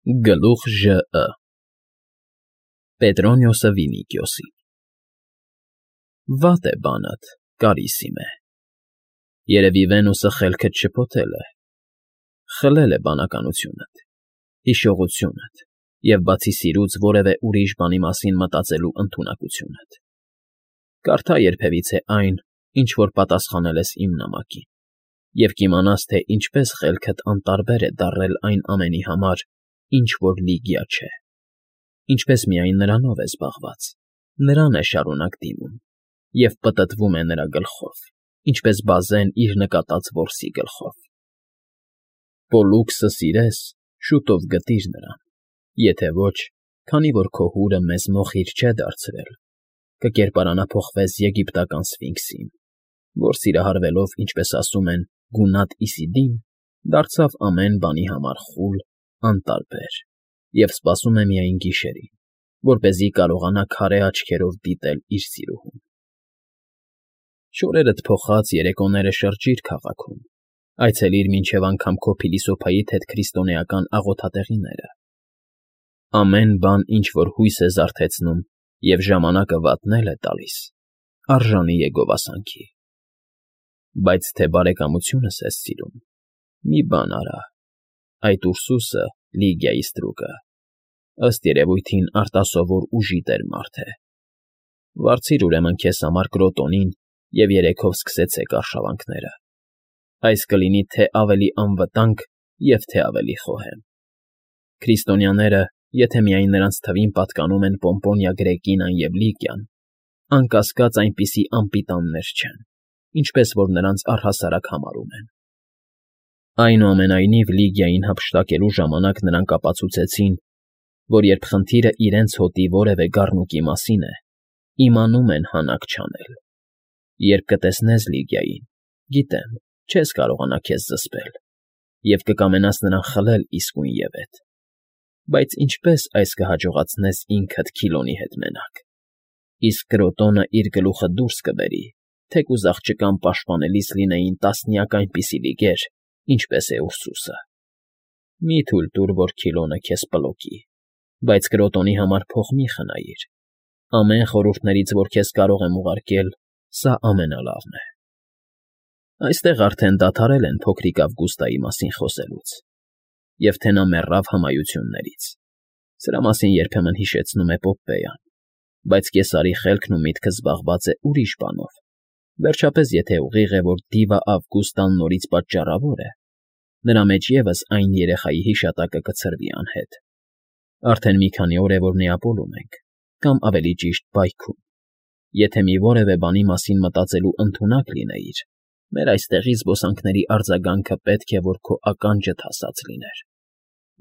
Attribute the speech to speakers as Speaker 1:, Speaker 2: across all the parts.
Speaker 1: Գլուխ ԺԸ Պետրոնիոսը Վինիկիոսին Վատ է բանդ, Կարիսիմե, երևի Վենուսը խելքդ շփոթել է, խլել է բանականությունդ, հիշողությունդ և բացի սիրուց որևէ ուրիշ բանի մասին մտածելու ընդունակությունդ, կարդա երբևիցե այն, ինչ որ պատասխանել ես իմ նամակին, և կիմանաս, թե ինչպես խելքդ անտարբեր է դառել այն ամենի համար, ինչ որ Լիգիա չէ, ինչպես միայն նրանով է զբաղված, նրան է շարունակ դիմում և պտտվում է նրա գլխով, ինչպես բազեն իր նկատած որսի գլխով. Պոլլուքսը սիրես, շուտով գտիր նրան, եթե ոչ, քանի որ քո հուրը մեզ մոխիր չէ դարձրել, կկերպարանափոխվես եգիպտական Սֆինքսին, որ սիրահարվելով, ինչպես ասում են, գունատ Իսիդին, դարձավ ամեն բանի համար խուլ, անտարբեր և սպասում է միայն գիշերին, որպեսզի կարողանա քարե աչքերով դիտել իր սիրուհուն։ Շորերդ փոխած երեկոները շրջիր քաղաքում, այցելիր մինչև անգամ քո փիլիսոփայի հետքրիստոնեական աղոթատեղիները։ Ամեն բան, ինչ որ հույս է զարթեցնում և ժամանակը վատնել է տալիս, արժանի է գովասանքի։ Բայց թե բարեկամությունս ես սիրում, մի բան արա, այդ Ուրսուսը, Լիգիայի ստրուկը, ըստ երևույթին արտասովոր ուժի տեր մարդ է։ Վարձիր ուրեմն քեզ համար Կրոտոնին և երեքով սկսեցեք արշավանքները։ Այս կլինի թե ավելի անվտանգ և թե ավելի խոհեմ։ Քրիստոնյաները, եթե միայն նրանց թվին պատկանում են Պոմպոնիա Գրեկինան և Լիգիան, անկասկած այնպիսի անպիտաններ չեն, ինչպես որ նրանց առհասարակ համարում են։ Այնուամենայնիվ Լիգիային հափշտակելու ժամանակ նրանք ապացուցեցին, որ երբ խնդիրը իրենց հոտի որևէ գառնուկի մասին է, իմանում են հանակ չանել։ Երբ կտեսնես Լիգիային, գիտեմ, չես կարողանա քեզ զսպել և կկամենաս նրան խլել իսկույնևեթ, բայց ինչպես այս կհաջողացնես ինքդ Քիլոնի հետ մենակ, իսկ Կրոտոնը իր գլուխը դուրս կբերի, թեկուզ աղջկան պաշտպանելիս լինեին տասնյակ այնպիսի լիգեր, ինչպես է Ուրսուսը։ Մի թույլ տուր, որ Քիլոնը քեզ պլոկի, բայց Կրոտոնի համար փող մի խնայիր։ Ամեն խորհուրդներից, որ քեզ կարող եմ ուղարկել, սա ամենալավն է։ Այստեղ արդեն դադարել են փոքրիկ Ավգուստայի մասին խոսելուց, և թե նա մեռավ հմայություններից։ Սրա մասին երբեմն հիշեցնում է Պոպպեյան, բայց Կեսարի խելքն ու միտքը զբաղված է ուրիշ բանով։ Վերջապես, եթե ուղիղ է, որ Դիվա Ավգուստան նորից պատճառավոր է, նրա մեջ ևս այն երեխայի հիշատակը կցրվի անհետ։ Արդեն մի քանի օր է, որ Նեապոլում ենք, կամ ավելի ճիշտ պայքում։ Եթե մի որևէ բանի մասին մտածելու ընդունակ լինեիր, մեր այստեղի զբոսանքների արձագանքը պետք է, որ քո ականջդ հասած լիներ,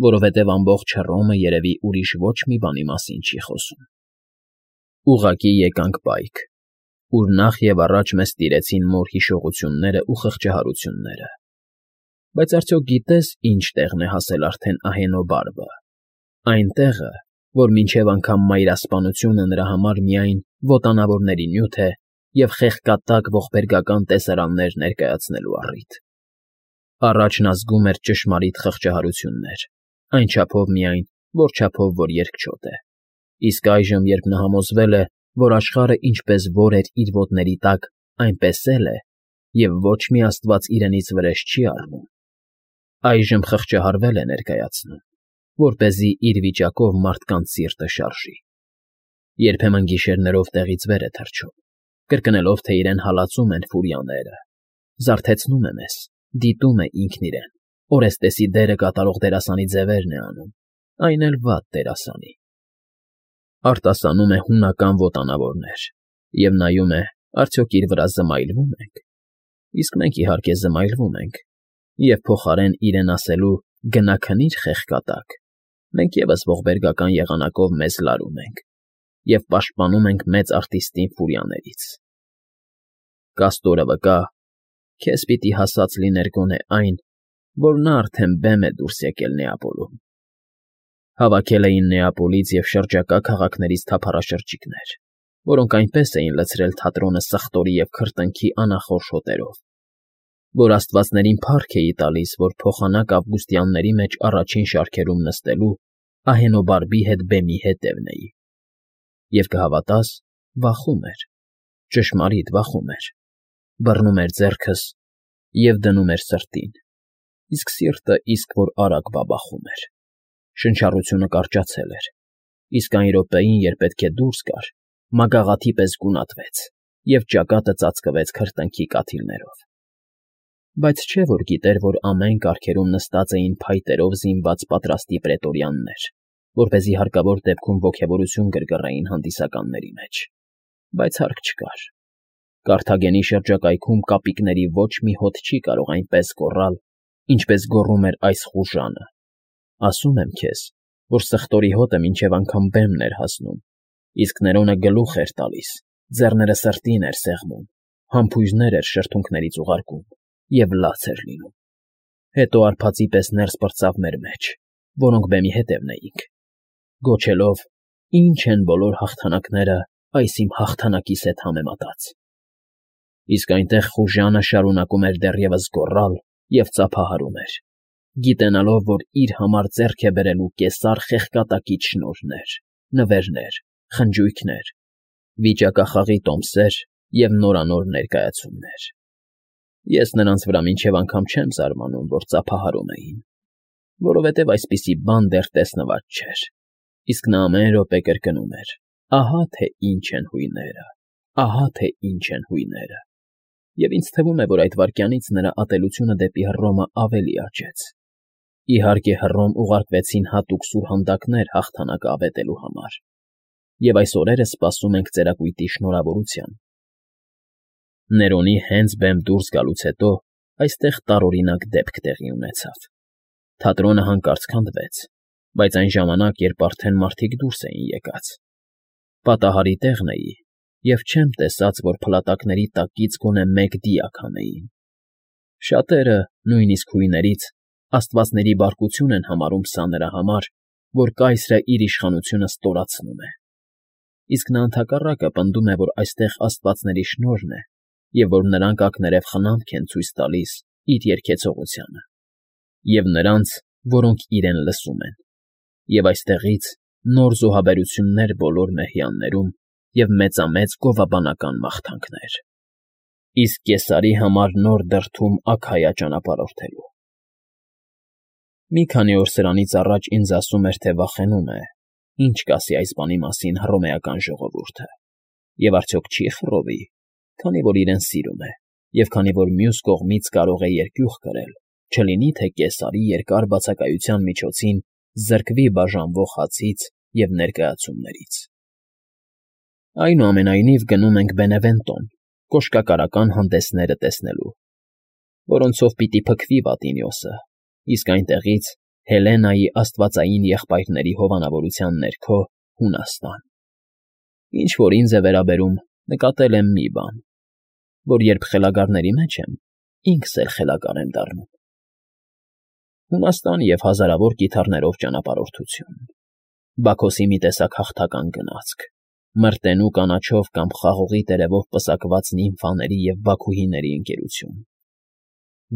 Speaker 1: որովհետև ամբողջ Հռոմը երևի ուրիշ ոչ մի բանի մասին չի խոսում։ Ուղղակի եկանք պայք, ուր նախ և առաջ մեզ տիրեցին մոր հիշողությունները ու խղճահարությունները։ Բայց արդյոք գիտես, ինչ տեղն է հասել արդեն Ահենոբարբը, այն տեղը, որ մինչև անգամ մայրասպանությունը նրա համար միայն ոտանավորների նյութ է և խեղկատակ ողբերգական տեսարաններ ներկայացնելու առիթ։ Առաջ նա զգում էր ճշմարիտ խղճահարություններ, այն չափով միայն, որ չափով որ երկչոտ է, իսկ այժմ, երբ նա համոզվել է, որ աշխարհը ինչպես որ էր իր ոտների տակ, այնպես էլ է, և ոչ մի աստված իրենից վրեժ չի առնում, այժմ խղճահարվել է ներկայացնում, որպեսզի իր վիճակով մարդկանց սիրտը շարժի։ Երբեմն գիշերներով տեղից վեր է թռչում, կրկնելով, թե իրեն հալածում են ֆուրիաները, զարթեցնում է մեզ, դիտում է ինքն իրեն, Օրեստեսի դերը կատարող դերասանի ձևերն է անում, այն էլ վատ դերասանի։ Արտասանում է հունական ոտանավորներ և նայում է, արդյոք իր վրա զմայլվո՞ւմ ենք, իսկ մենք իհարկե զմայլվում ենք, և փոխարեն իրեն ասելու «գնա քնիր, խեղկատակ», մենք ևս ողբերգական եղանակով մեզ լարում ենք և պաշտպանում ենք մեծ արտիստին ֆուրիաներից։ Կաստորը վկա, քեզ պիտի հասած լիներ գոնե այն, որ նա արդեն բեմ է դուրս եկել Նեապոլում։ Հավաքել էին Նեապոլից և շրջակա քաղաքներից թափառաշրջիկներ, որոնք այնպես էին լցրել թատրոնը սխտորի և քրտինքի անախորժ հոտերով, որ աստվածներին փառք էի տալիս, որ փոխանակ ավգուստյանների մեջ առաջին շարքերում նստելու ահենոբարբի հետ բեմի հետևն էի։ Եվ կհավատաս, վախում էր, ճշմարիտ վախում էր, բռնում էր ձեռքս և դնում էր սրտին, իսկ սիրտը իսկ որ արագ բաբախում էր, շնչառությունը կարճացել էր, իսկ այն րոպեին, երբ պետք է դուրս գար, մագաղաթի պես գունատվեց և ճակատը ծածկվեց քրտինքի կաթիլներով։ Բայց չէ՞ որ գիտեր, որ ամեն կառքերում նստած էին փայտերով զինված պատրաստի պրետորյաններ, որպեսզի հարկավոր դեպքում ոգևորություն գրգռեին հանդիսականների մեջ, բայց հարկ չկար։ Կարթագենի շրջակայքում կապիկների ոչ մի հոտ չի կարող այնպես գոռալ, ինչպես գոռում էր այս խուժանը։ Ասում եմ քեզ, որ սխտորի հոտը մինչև անգամ բեմն էր հասնում, իսկ Ներոնը գլուխ էր տալիս, ձեռները սրտին էր սեղմում, համբույրներ էր շրթունքներից ուղարկում և լաց էր լինում։ Հետո արփածի պես ներս պրծավ մեր մեջ, որոնք բեմի հետևն էինք, գոչելով. «Ինչ են բոլոր հաղթանակները այս իմ հաղթանակիս հետ համեմատած»։ Իսկ այնտեղ խուժանը շարունակում էր դեռևս գոռալ և ծափահարում էր, գիտենալով, որ իր համար ձեռք է բերելու կեսար խեղկատակից շնորհներ, նվերներ, խնջույքներ, վիճակախաղի տոմսեր և նորանոր ներկայացումներ։ Ես նրանց վրա մինչև անգամ չեմ զարմանում, որ ծափահարում էին, որովհետև այսպիսի բան դեռ տեսնված չէր, իսկ նա ամեն րոպե կրկնում էր. «Ահա թե ինչ են հույները, ահա թե ինչ են հույները»։ Եվ ինձ թվում է, որ այդ վայրկյանից նրա ատելությունը դեպի Հռոմը ավելի աճեց։ Իհարկե, Հռոմ ուղարկվեցին հատուկ սուրհանդակներ հաղթանակը ավետելու համար, և այս օրերը սպասում ենք ծերակույտի շնորհավորության։ Ներոնի հենց բեմ դուրս գալուց հետո այստեղ տարօրինակ դեպք տեղի ունեցավ։ Թատրոնը հանկարծ քանդվեց, բայց այն ժամանակ, երբ արդեն մարդիկ դուրս էին եկած։ Պատահարի տեղն էի և չեմ տեսած, որ փլատակների տակից գոնե մեկ դիակ հանեին։ Շատերը, նույնիսկ հույներից, աստվածների բարկություն են համարում սա նրա համար, որ կայսրը իր իշխանությունը ստորացնում է։ Իսկ նա ընդհակառակը պնդում է, որ այստեղ աստվածների շնորհն է և որ նրանք ակներև խնամք են ցույց տալիս իր երգեցողությանը և նրանց, որոնք իրեն լսում են, և այստեղից նոր զոհաբերություններ բոլոր մեհյաններում և մեծամեծ գովաբանական մաղթանքներ։ Իսկ Կեսարի համար նոր դրդում Աքայա ճանապարհորդելու։ Մի քանի օր սրանից առաջ ինձ ասում էր, թե վախենում է, ինչ կասի այս բանի մասին հռոմեական ժողովուրդը, և արդյոք չի խռովի, քանի որ իրեն սիրում է, և քանի որ մյուս կողմից կարող է երկյուղ կրել, չլինի թե Կեսարի երկար բացակայության միջոցին զրկվի բաժանվող հացից և ներկայացումներից։ Այնուամենայնիվ գնում ենք Բենևենտոն կոշկակարական հանդեսները տեսնելու, որոնցով պիտի փքվի Վատինիոսը, իսկ այնտեղից Հելենայի աստվածային եղբայրների հովանավորության ներքո Հունաստան։ Ինչ որ ինձ է վերաբերում, նկատել եմ մի բան, որ երբ խելագարների մեջ եմ, ինքս էլ խելագար եմ դառնում։ Հունաստան և հազարավոր կիթառներով ճանապարհորդություն, Բաքոսի մի տեսակ հաղթական գնացք, մրտենու կանաչով կամ խաղողի տերևով պսակված նիմֆաների և բաքուհիների ընկերություն,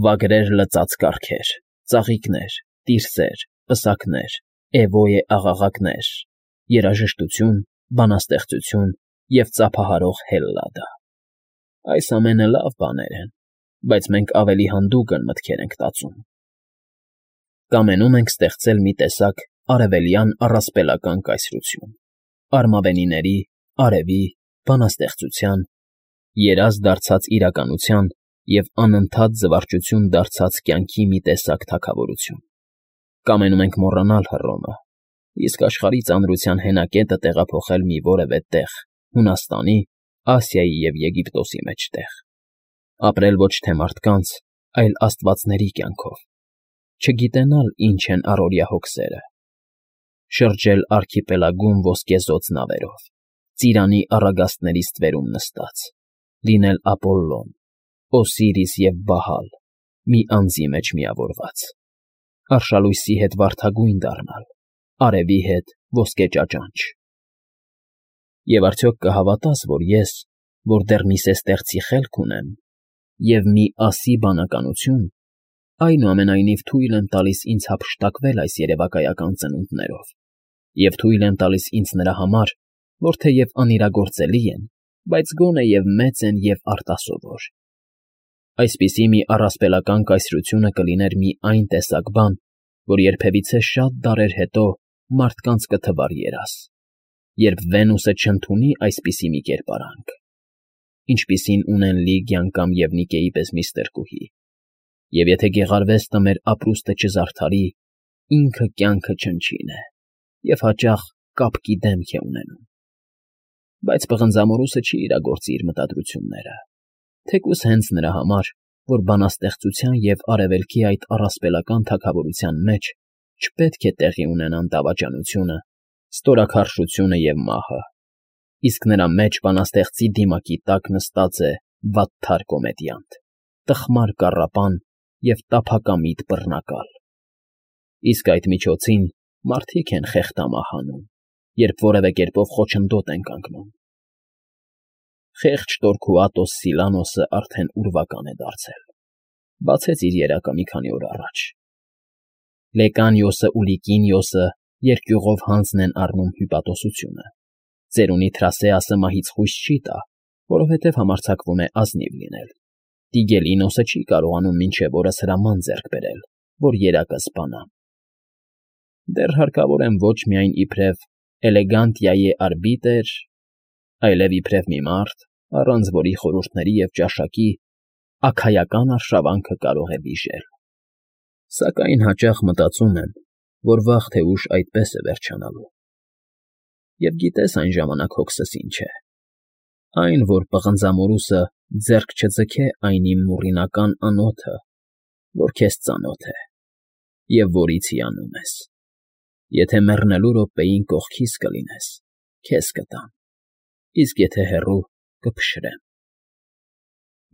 Speaker 1: վագրեր լծած կառքեր, ծաղիկներ, տիրսեր, պսակներ, էվոյե աղաղակներ, երաժշտություն, բանաստեղծություն և ծափահարող Հելլադա։ Այս ամենը լավ բաներ են, բայց մենք ավելի հանդուգն մտքեր ենք տածում։ Կամենում ենք ստեղծել մի տեսակ արևելյան առասպելական կայսրություն, արմավենիների, արևի, բանաստեղծության, երազ դարձած իրականության և անընդհատ զվարճություն դարձած կյանքի մի տեսակ թագավորություն։ Կամենում ենք մոռանալ Հռոմը, իսկ աշխարհի ծանրության հենակետը տեղափոխել մի որևէ տեղ Հունաստանի, Ասիայի և Եգիպտոսի մեջտեղ, ապրել ոչ թե մարդկանց, այլ աստվածների կյանքով, չգիտենալ ինչ են առօրյա հոգսերը, շրջել արքիպելագում ոսկեզօծ նավերով, ծիրանի առագաստների ստվերում նստած, լինել Ապոլլոն, Օսիրիս և Բահալ, մի անձի մեջ միավորված, արշալույսի հետ վարդագույն դառնալ, արևի հետ ոսկե ճաճանճ։ Եվ արդյոք կհավատաս, որ ես, որ դեռ մի սեսթեղծի խելք ունեմ և մի ասի բանականություն, այնուամենայնիվ թույլ եմ տալիս ինձ հափշտակվել այս երևակայական ծնունդներով Եվ թույլ եմ տալիս ինձ նրա համար, որ թեև անիրագործելի են, բայց գոնե և մեծ են և արտասովոր։ Այսպիսի մի առասպելական կայսրությունը կլիներ մի այն տեսակ բան, որ երբևիցե շատ դարեր հետո մարդկանց կթվար երազ, երբ Վենուսը չընդունի այսպիսի մի կերպարանք, ինչպիսին ունեն Լիգիան կամ Եվնիկեի պես մի ստրկուհի, և եթե գեղարվեստը մեր ապրուստը չզարդարի, ինքը կյանքը չնչին է և հաճախ կապկի դեմք է ունենում։ Բայց պղնձամորուսը չի իրագործի իր մտադրությունները, թեկուզ հենց նրա համար, որ բանաստեղծության և արևելքի այդ առասպելական թագավորության մեջ չպետք է տեղի ունենան դավաճանությունը, ստորաքարշությունը և մահը, իսկ նրա մեջ բանաստեղծի դիմակի տակ նստած է վատթար կոմեդիանտ, տխմար կառապան և տափակամիտ բռնակալ։ Իսկ այդ միջոցին մարդիկ են խեղդամահ անում, երբ որևէ կերպով խոչընդոտ են կանգնում։ Խեղճ Տորքուատոս Սիլանոսը արդեն ուրվական է դարձել, բացեց իր երակը մի քանի օր առաջ։ Լեկանիոսը ու Լիկինիոսը երկյուղով հանձն են առնում հյուպատոսությունը։ Ծերունի Թրասեասը մահից խույս չի տա, որովհետև համարձակվում է ազնիվ լինել։ Տիգելինոսը չի կարողանում մինչև օրս հրաման ձեռք բերել, որ երակը սպանա։ Դեռ հարկավոր եմ ոչ միայն իբրև էլեգանտիայի արբիտր, այլև իբրև մի մարդ, առանց որի խորհուրդների և ճաշակի աքայական արշավանքը կարող է վիժել։ Սակայն հաճախ մտածում եմ, որ վաղ թե ուշ այդպես է վերջանալու։ Եվ գիտես այն ժամանակ հոգսս ինչ է։ Այն, որ պղնձամորուսը ձեռք չձգե այն իմ մուրրինական անոթը, որ քեզ ծանոթ է, և որից հիանում ես։ Եթե մեռնելու րոպեին կողքիս կլինես, քեզ կտամ, իսկ եթե հեռու, կփշրեմ։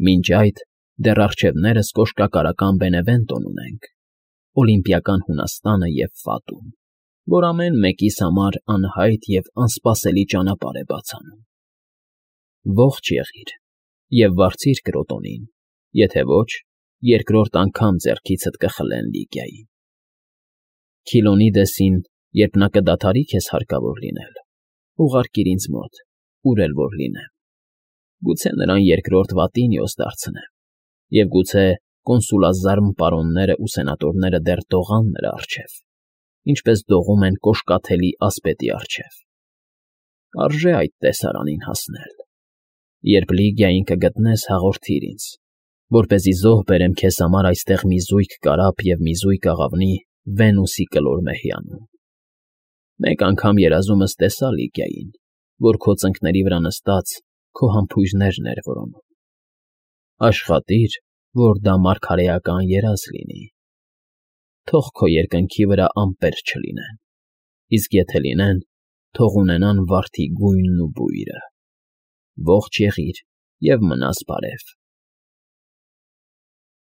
Speaker 1: Մինչ այդ դեռ առջևներս կոշկակարական Բենևենտոն ունենք, օլիմպիական Հունաստանը և Ֆատուն, որ ամեն մեկիս համար անհայտ և անսպասելի ճանապարհ է բաց անում։ Ողջ եղիր և վարձիր Կրոտոնին, եթե ոչ, երկրորդ անգամ ձեռքիցդ կխլեն Լիգիային։ Քիլոնիդեսին, երբ նա կդադարի քեզ հարկավոր լինել, ուղարկիր ինձ մոտ, ուր էլ որ լինեմ։ Գուցե նրան երկրորդ Վատինիոս դարձնեմ, և գուցե կոնսուլազարմ պարոններն ու սենատորները դեռ դողան նրա առջև, ինչպես դողում են կոշկաթելի ասպետի առջև։ Արժե այդ տեսարանին հասնել։ Երբ Լիգիային կգտնես, հաղորդիր ինձ, որպեսզի զոհ բերեմ քեզ համար այստեղ մի զույգ կարապ և մի զույգ աղավնի Վենուսի կլոր մեհյանում։ Մեկ անգամ երազումս տեսա Լիգիային, որ քո ծնկների վրա նստած քո համբույրներն էր որոնում։ Աշխատիր, որ դա մարգարեական երազ լինի։ Թող քո երկնքի վրա ամպեր չլինեն, իսկ եթե լինեն, թող ունենան վարդի գույնն ու բույրը։ Ողջ եղիր և մնաս բարև։